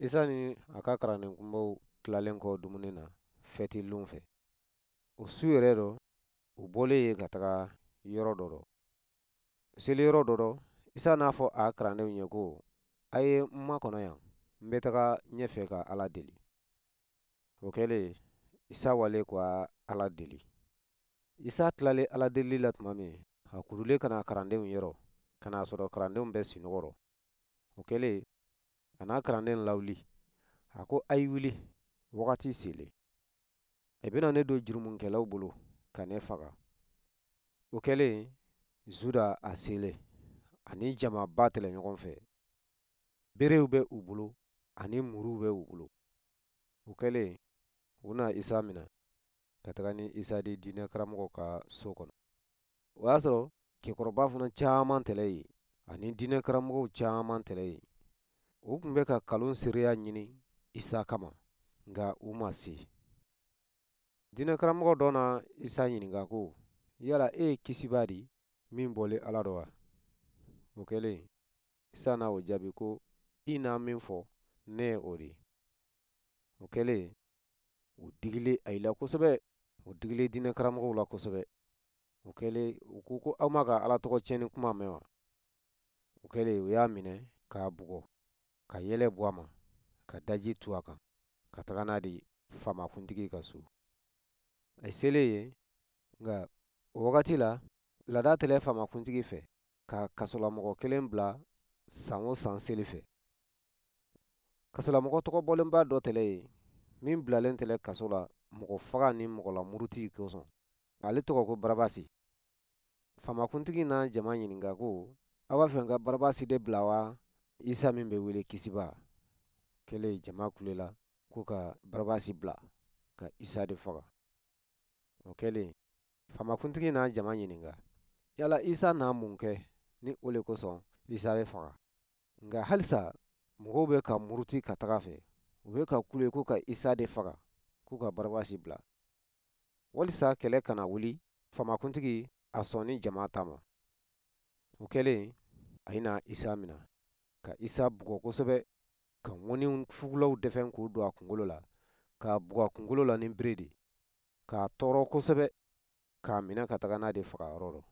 Isa ni a ka kalanden kunbaw tilalen kɔ dumuni na fɛti lon fɛ, o su yɛrɛ dɔ, u bɔlen yen ka taga yɔrɔ dɔ rɔ. U selen yɔrɔ dɔ rɔ, Isa n'a fɔ a kalandenw ye ko, A ye n makɔnɔ yan, n bɛ taga ɲɛfɛ ka Ala deli. O kɛlen, Isa walen ka Ala deli. Isa tilalen Ala delili la tuma min, a kurulen ka na kalandenw yɔrɔ, ka n'a sɔrɔ kalandenw bɛ sunɔgɔ rɔ. O kɛlen, a n'a kalanden lawuli. A ko, A ye wuli, wagati selen. A bɛna ne don jurumunkɛlaw bolo ka ne faga. O kɛlen, Zuda a selen, ani jamaba tɛlɛ ɲɔgɔn fɛ. Berew bɛ u bolo ani muruw bɛ u bolo. O kɛlen, u na Isa minɛ ka taga ni Isa di diinɛ karamɔgɔ ka so kɔnɔ. O y'a sɔrɔ cɛkɔrɔba fana caman tɛlɛ yen ani diinɛ karamɔgɔw caman tɛlɛ yen. U tun bɛ ka kalon seereya ɲini Isa kama, nka u ma se. Diinɛ karamɔgɔ dɔ na Isa ɲininka ko, yala e ye Kisibaa di min bɔlen Ala dɔ wa? O kɛlen, Isa na o jaabi ko, i na min fɔ, ne ye o di. O kɛlen, u digilen ayi la kosɛbɛ, u digilen diinɛ karamɔgɔw la kosɛbɛ. O kɛlen, u ko ko aw ma ka Ala tɔgɔ tiɲɛni kuma mɛn wa? O kɛlen, u y'a minɛ k'a bugɔ, ka yɛlɛ bɔ a ma, ka daji tu a kan, ka taga n'a di faamakuntigi ka so. A selen yen, nka o wagati la, laada tɛlɛ faamakuntigi fɛ ka kasolamɔgɔ kelen bila san o san seli fɛ. Kasolamɔgɔ tɔgɔ bɔlenba dɔ tɛlɛ yen, min bilalen tɛlɛ kaso la mɔgɔ faga ni mɔgɔlamuruti kosɔn. Ale tɔgɔ ko Barabasi. Faamakuntigi na jama ɲininka ko, aw b'a fɛ n ka Barabasi de bila wa Isa min bɛ wele Kisiba? Kɛlen, jama kulela ko ka Barabasi bila ka Isa de faga. O kɛlen, faamakuntigi na jama ɲininka, yala Isa na mun kɛ ni o le kosɔn Isa bɛ faga? Nka halisa mɔgɔw bɛ ka muruti ka taga fɛ, u bɛ ka kule ko ka Isa de faga, k'u ka Barabasi bila. Walisa kɛlɛ kana wuli, faamakuntigi a sɔnni jama ta ma. O kɛlen, a na Isa minɛ, ka Isa bugɔ kosɛbɛ, ka ŋɔni fugulaw dɛfɛn k'o don a kunkolo la, k'a bugɔ a kunkolo la ni bere de, k'a tɔɔrɔ kosɛbɛ, k'a minɛ ka taga n'a de faga yɔrɔ rɔ.